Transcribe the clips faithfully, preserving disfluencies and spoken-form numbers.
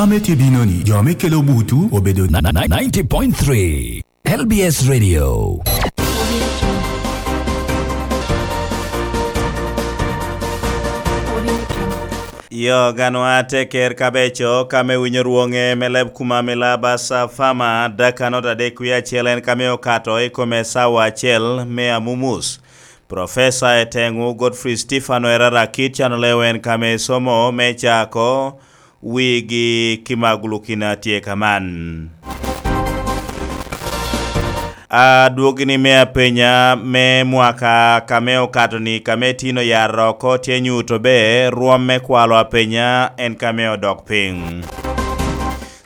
Ame tye bino ni, jo ame kelo butu obedo na- na- na- ninety point three L B S Radio. Yo ganwa teker kabeco ka me winyo rwoŋe me leb kuma milaba sa fama dakanot adek wie acel en ka me okato i kome sawa acel me amumus. Profesa Eteŋu Godfrey Stefano Erara Kit Cano Lew en ka me somo me cako wigi ki magulukina tye kaman. Adwogi ni me apenya me mwaka ka me okato ni ka me tino yar oko tye nyuto be rwom me kwalo apenya en ka me odok piny.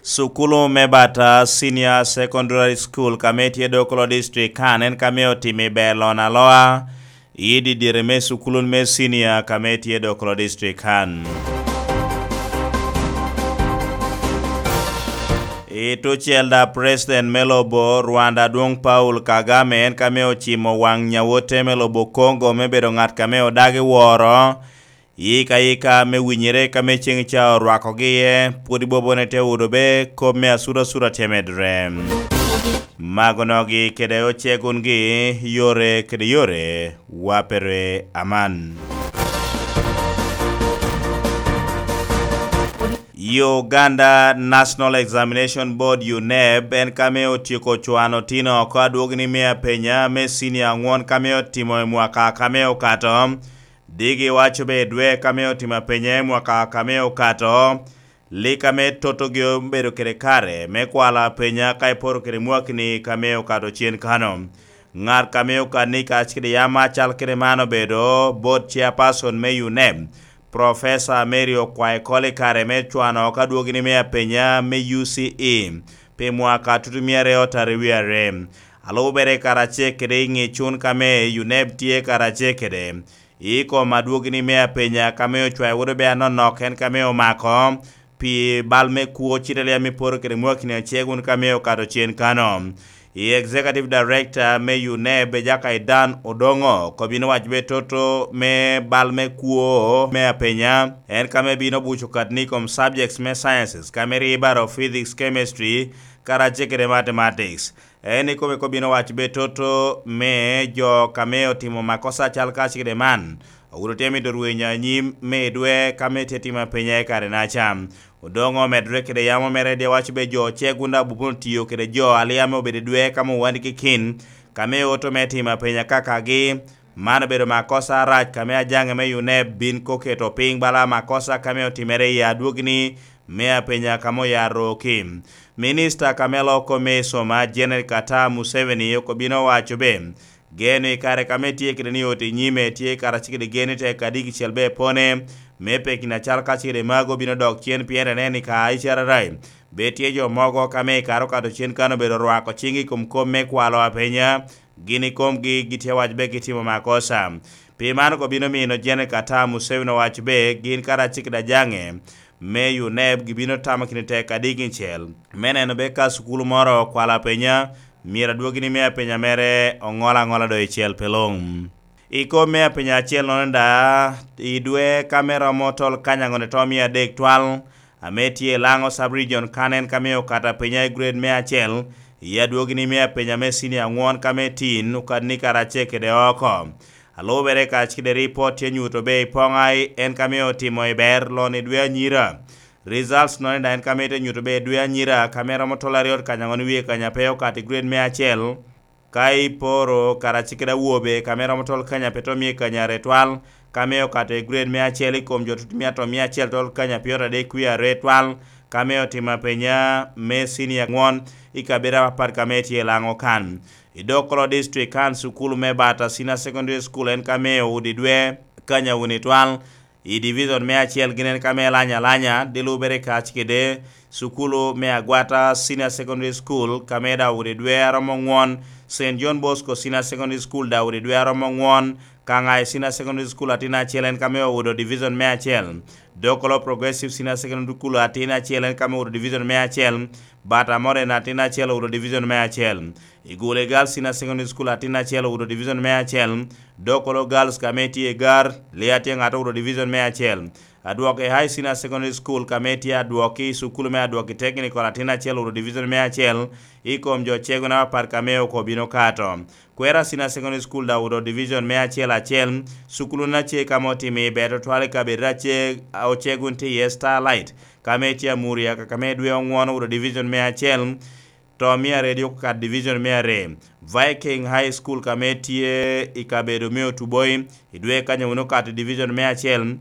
Sukulu me Bata Senior Secondary School ka me tye Dokolo District kan en ka me otimo i ber lon aloa i didire me sukulu me senior ka me tye Dokolo District kan. I tucel da President me lobo Rwanda Adwong Paul Kagame en ka me ocimo waŋ nyawote me lobo Congo me bedo ŋat ka me odagi woro yika yika me winyere ka me ceŋ ca orwakogi iye, pwod ibobone te odo be kop me asura asura tye medre. Magonogi kede ocegungi yore kede yore wapere aman. Uganda National Examination Board, uneb, en ka me otyeko cwano tino oko adwogi ni me apenya me senior aŋwon ka me otimo i mwaka ka me okato. Digi waco be dwe ka me otimo apenya i mwaka ka me okato, lik ame totogi obedo kede kare me kwalo apenya ka iporo kede mwakini ka me okato cen kano. Ŋat ka me okadni kacel kede yam acal kede man obedo board chairperson me uneb, Professor Mary Okwai Koli kare me cwano oko adwogini me apenya me U C E pi mwaka tutumia aryo tara wie are. Alubere karacel kede i ŋecun ka me uneb tye karacel kede i kom adwogini me apenya ka me ocwayo wod obe anonok en ka me omako pi bal me kwo cite liam i poro kede mwakini acel wun ka me okato cen kano. I Executive Director me uneb Jaka Idan Odongo ko bino waco be toto me bal me kwo me apenya en ka me bino buco katni i kom subjects me sciences ka me ribaro physics, chemistry, karacel kede mathematics. En ikome kop bino waco be toto me jo ka me otimo makosa cal kacel kede man. Ogudo tye mido rwenyo anyim me idwe ka me tye timo apenya i kare naca. Odongo omedre kede yamo mere de waco be jo cegunda bubun tiyo kede jo alia me obedo idwe ka me owandi kikin ka me oto me timo apenya kakagi. Man obedo makosa arac ka me ajaŋe me uneb bin ko keto piny bala makosa ka me otimere i adwogini me apenya ka me oyaro ki. Minista ka me loko me soma Janet Kata Museveni oko bino waco be geno i kare ka me tye kede ni oti nyime tye karacel kede geno i tek adiki cel be pone me pekina cal kacel kede mago bino dok cen pien ene ni ka icararai be tye jo mogo ka me i kare okato cen kan obedo rwako cing i kom kop me kwalo apenya gin i komgi gitye wac be gitimo makosa. Pi man ko bino mino Janet Kata Museveni owaco be gin karacel kede ajaŋe me uneb gibino tamo kine tek adiki cel me neno be ka sukulu moro okwalo apenya myero adwogi ni me apenya mere oŋol aŋola do i cel pe luŋ. I kom me apenya acel nono da i dwe ka me romo tol kany aŋone to mia adek twal ame tye i Laŋo Sub Region kan en ka me okato apenya i grade me acel i adwogi ni me apenya me senior aŋwon ka me tin okadni karacel kede oko. Alubere kac kede ripot tye nyuto be i Poŋai en ka me otimo i ber lon i dwe anyira. Results nono da en ka me te nyuto be i dwe anyira ka me romo tol aryo kany aŋon wie kanya pe okato i grade me acel. Ka iporo karacel kede awobe ka me romo tol kanya pe to mie kanya retwal ka me okato i grade me acel i kom jo tut mia to mia acel tol kanya pyot adek wie are twal ka me otimo apenya me senior aŋwon i kabedo apapat ka me tye i Laŋo kan. I Dokolo District kan sukulu me Bata Senior Secondary School en ka me odi dwe kanya wuni twal i division me acel gin en ka me lanya alanya de lubere kac kede sukulu me Agwata Senior Secondary School ka me Daudi dwe aromo ŋwon, Saint John Bosco Senior Secondary School Daudi dwe aromo ŋwon, Kaŋai Senior Secondary School atin acel en ka me Oudo division me acel, Dokolo Progressive Senior Secondary School atin acel en ka me Oudo division me acel, Bata Modern atin acel Oudo division me acel. I Gule Girls Senior Secondary School, atin acel owuto division me acel. Dokolo Girls, ka me tye i Gar, Lee Atyeŋ Ato owuto division me acel. Adwoki High Senior Secondary School, ka me tye Adwoki, cukulu me Adwoki Technical, atin acel owuto division me acel. I kom jo cegona apat ka me oko bino kato. Kwera Senior Secondary School daŋ owuto division me acel acel. Cukulu na ce ka me otimo i ber tutwal i kabedo ace, ocegun tye iye Starlight, ka me tye Amuria, ka me dwe oŋwon owuto division me acel. To mia aryo dok okato division me aryo. Viking High School, ka me tye i kabedo me Otuboi, i dwe kanyo wun okato i division me acel.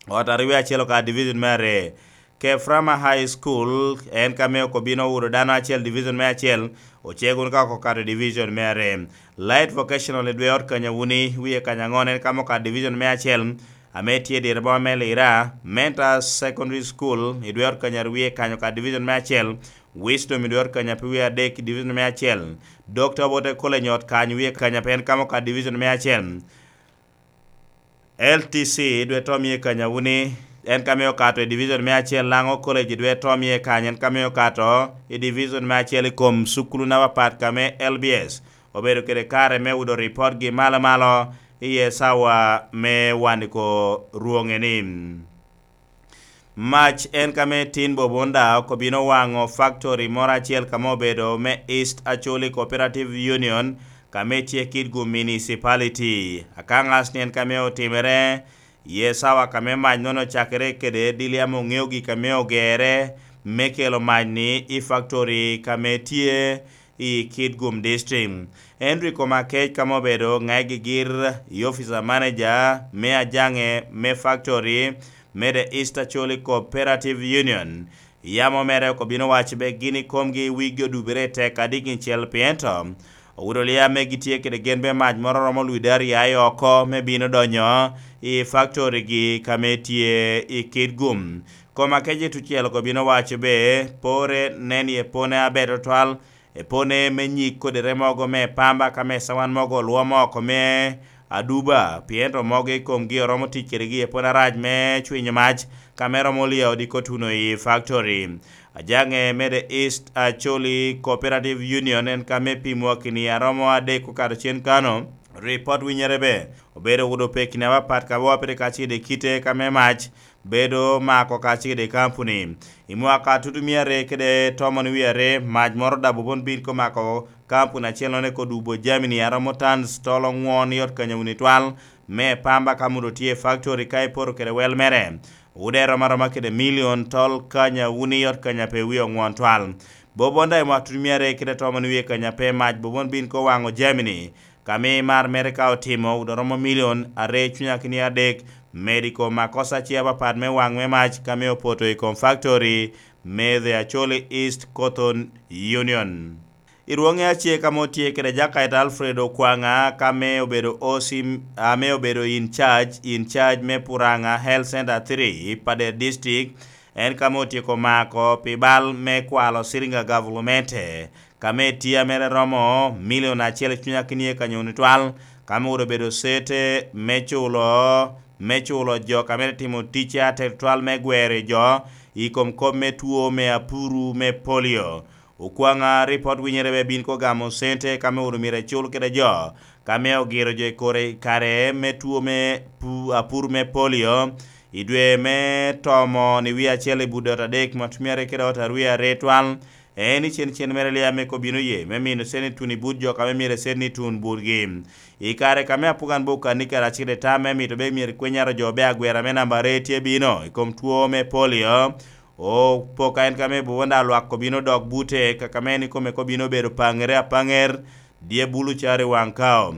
Ot aryo acel okato division me aryo. Keframa High School, en ka me okobino owuto dano acel division me acel, ocego wun ka okato division me aryo. Light Vocational i dwe ot kanyo wuni, wie kanyo aŋon, en ka me okato division me acel, ame tye i diro boma me Lira. Mentor Secondary School i dwe ot kanyo aryo, wie kanyo okato division me acel. Wisdom i dwe ot kanyo ape wie adek i division me acel. Doctor Obote College ot kanyo wie kanyo ape en ka me okato division me acel. L T C i dwe to mie kanyo wuni, en ka me okato i division me acel. Laŋo College i dwe to mie kanyo, en ka me okato i division me acel i kom cukulu na papat ka me L B S. Obedo kede kare me wudo ripot gi malo malo i sawa me waniko rwonge ni. Mac en ka me tin Bobonda okobino waŋo factory moro acel ka me obedo me East Acholi Cooperative Union, ka me tye Kitgum Municipality. Akaŋas ni en ka me otimere, ye sawa ka me mac nono ocakere kede Diliam Oŋeo gik ka me ogere me kelo mac ni i factory ka me tye i Kitgum District. Henry Komakec ka me obedo ŋai gigir i officer manager me ajaŋe me factory me The East Acholi Cooperative Union. Yamo mere okobino waco be gin i komgi wigi odubere tek adik icel, pien to owudo lia me gitye kede gen be mac moro romo lwide aryo aye oko me bino donyo i factory gi ka me tye i Kitgum. Komakec i tucel okobino waco be pore nen ye pone aber tutwal, epone me nyig kodere mogo me pamba ka me cawan mogo olwomo oko me aduba, pien to mogo i komgi oromo tic kedegi epone arac me cwinyo mac ka me romo lio odiko tuno i factory. Ajaŋe me The East Acholi Cooperative Union en ka me pimwa kini aromo adek okato cen kano. Ripot winyere be obedo wudo pekini apapat ka wapire ka cide kite ka me mac bedo mako kacel i kampuni. I mwaka tutumia aryo kede tomon wie aryo, mac moro dabu bon bin ko mako kampuni acel noneko dubo jamini aromo tans tol oŋwon i ot kanyawuni twal me pamba ka mudo tye i faktori ka ipoto kede wel mere. Wude rom aroma kede milion tol kanyawuni i ot kanya pe wie oŋwon twal. Bobonda i mwaka tutumia aryo kede tomon wie kanya pe mac bobon bin ko waŋo jamini. Ka mi mar mere ka otimo, wudo romo milion aryo cunya kini adek, medo i kom akosa ce apapat me waŋ me mac ka mi opoto i kom faktori me The Acholi East Cotton Union. I rwoŋe ace ka mo tye kede Jakayta Alfred Okwaŋa ka me obedo O C, ame obedo in charge, in charge me Puraŋa Health Center three i Pader District, en ka me otyeko mako pi bal me kwalo cilingi a gavulumente. Ka me tye a mere romo milion acel cunya kini ye kanyoni twal, ka me wuro bedo sete me culo, me culo jo ka mere timo ticce atek twal me gwero jo i kom kop me two me apuru me polio. Okwaŋa ripot winyere be bin ko gamo sente ka me wuro myero ecul kede jo ka me ogiro jo i kore i kare me two me pu-, apuru me polio i dwe me tomo ni wie acel i budot adek ma tumyere kede ot arwe arwe twal. En i cen cen mere lia me kobino ye me mino seni tun i but jo ka me myero seni tun butgi. I kare ka me apugan bo kani kede acel i tam me mito be myero kwenyaro jo be agwera me namba aryo tye bino i kom two me polio. O poka en ka me bubonda lwak kobino dok bute, ka ka me en ikome kobino bedo paŋere apaŋer, dye bulu caro i waŋ kao.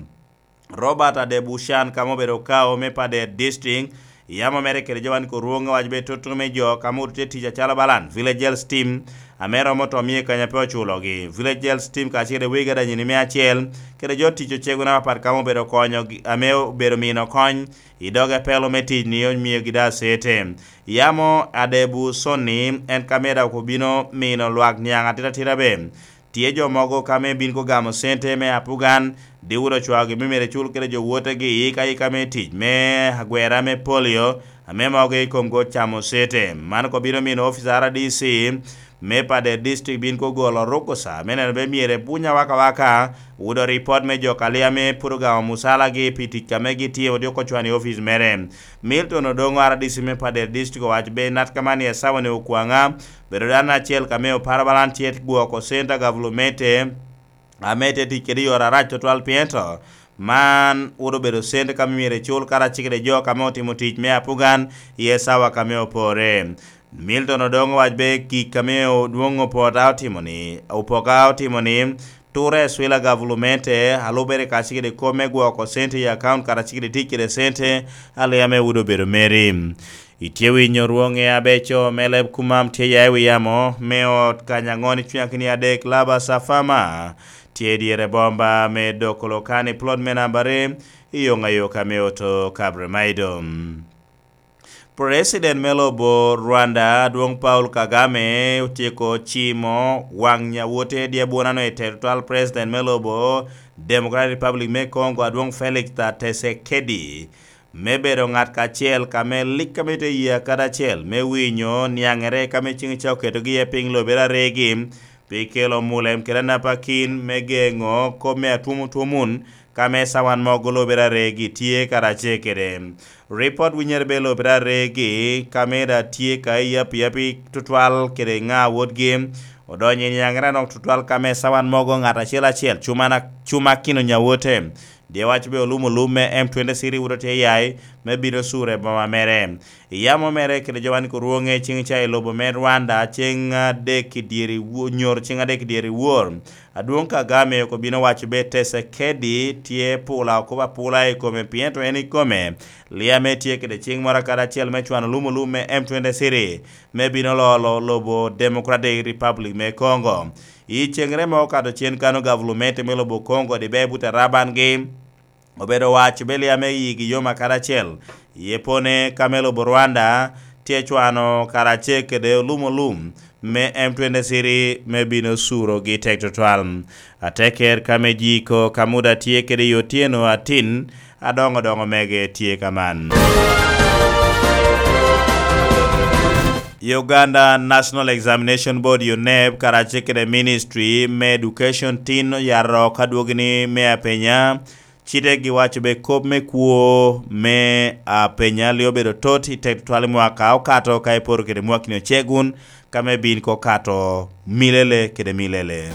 Robert Adebushan ka me obedo kao me Pader District, yamo mere kede jo wan ko rwonge wac be toto me jo ka me wuro tye tic acalo balan Village Health Team, ame romo to mie kanya pe oculogi. Village Health Team kacel i wegi adanyini me acel, kede jo tic ocego na apat ka me obedo konyo gi, ame obedo mino kony i doge pelo me tic ni omiogi da sete. Yamo Adebu Sonni en ka me dok obino mino lwak niaŋ atira atira be. Tye jo mogo ka me bin ko gamo sente me apugan, diwuro cwagi me myero ecul kede jo wotegi i ka i ka me tic me agwera me polio, ame mogo i kom go camo sete. Man ko bino mino office R D C me Pader District bin ko golo rukusa me neno be myero ebuny awakawaka, wudo ripot me jo ka Liame pwod ogamo musalagi pi tic ame gitimo dyoko cwan i ofic mere. Milton Odongo, R D C me Pader District, owaco be nat ka man i esawa-ni okwaŋa, bedo dano acel ka me oparo balan tye gwoko center gavulumete ame tye tic kede i yore arac tutwal, pien to man wot obedo cente ka myero ecul karacel kede jo ka me otimo tic me apugan i esawa ka me opore. Milton Odongo owaco be gik ame Odwong Opota otimo-ni, Opoka otimo-ni, ture ecwila gavulumete, a lubere karacel kede kop me gwoko cente i akaunt karacel kede tic kede cente a Liame wot obedo meri. Itye winyo rwoŋe abeco me leb kumam tye ya i wi yamo me ot kany aŋo ni cuny akini adek, Laba Safama tye i dyere bomba me Dokolo Kani, plot me namba are, i yoŋ ayoka me Oto Kabremaido. President me lobo Rwanda, Adwoŋ Paul Kagame, otyeko cimo waŋ nyawote dyabwona-nu i te tutwal, President me lobo Democratic Republic me Congo, Adwoŋ Felix Tshisekedi, me bedo ŋat kacel ka me lik ame tye i yie akadi acel, me winyo niaŋere ka me ciŋ ca oketogi iye piny lobere aregi, pi kelo mulem kede anapakin me geŋo kop me atwom otwom wun, ka me sawan mogo lobere aregi tye karacel kede. Ripot winyere be lobere aregi, ka me da tye ka i yapi yapi tutwal kede ŋa wotgi, odonyo i niaŋere anok tutwal ka me sawan mogo ŋat acel acel, cuma na, cuma kino nyawote. Dye waco be olum olum me M twenty-three wuro tye yai me bino curo i boma mere. I yamo mere kede jo wan kurwoŋe ciŋ ca i lobo me Rwanda, ciŋ adek i dyeri wo-, nyoro ciŋ adek i dyeri wor. Adwoŋ Kagame oko bino waco be Tshisekedi tye pula okobo apula i kome, pien to en i kome. Liame tye kede ciŋ moro akadi acel me cwano olum olum me M twenty-three me bino lolo lobo Democratic Republic me Congo. I ceŋere ma okato cen kano gavulumete me lobo Congo, Dibeye Butarabangi obedo waco be Liame yigi yom akadi acel. Ye pone ka me lobo Rwanda tye cwano karacel kede olum olum me M twenty-three me bino curogi tek tutwal. Ateker ka me jiko ka muda tye kede i otyeno atin, adoŋo doŋo mege tye ka man. Uganda National Examination Board, UNEB, karacel kede Ministry me Education tin oyato ka dwogini me apenya. Cite giwaco be kop me kwo me apenya li obedo tot i tek tutwal i mwaka okato ka iporo kede mwakni ocegun, ka me bin ko kato milele kede milele.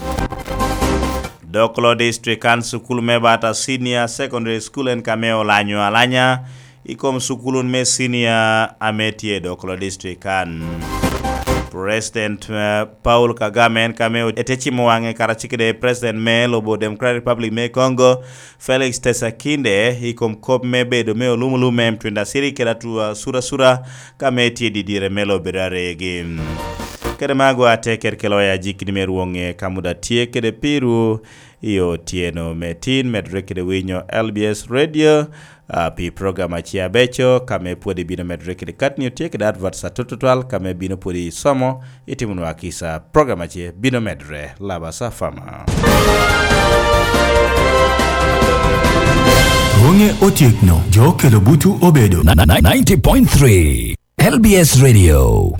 Dokolo District kan sukul me Bata Senior Secondary School en ka me olanyo alanya i kom sukul me senior ame tye i Dokolo District kan. President, eh, Paul Kagame en ka me ete cimo waŋe karacel kede President me lobo Democratic Republic me Congo, Felix Tshisekedi, i kom kop me bedo me olum olum me M twenty-three kede atu-, asura asura ka me tye didire me lobo aregi. Kede mago ateker kelo ya jikini me rwoŋe ka muda tye kede piru i otyeno me tin, medore kede winyo L B S Radio, ah, pi program ace abeco, ka me pwod ibino medore kede katni otye kede adverts atut tutwal, ka me bino pwod isomo, itimo nwa kisa. Program ace bino medore, Laba Safama. Rwoŋe otyekno, jo kelo butu obedo. Na-, na-, ninety point three L B S Radio.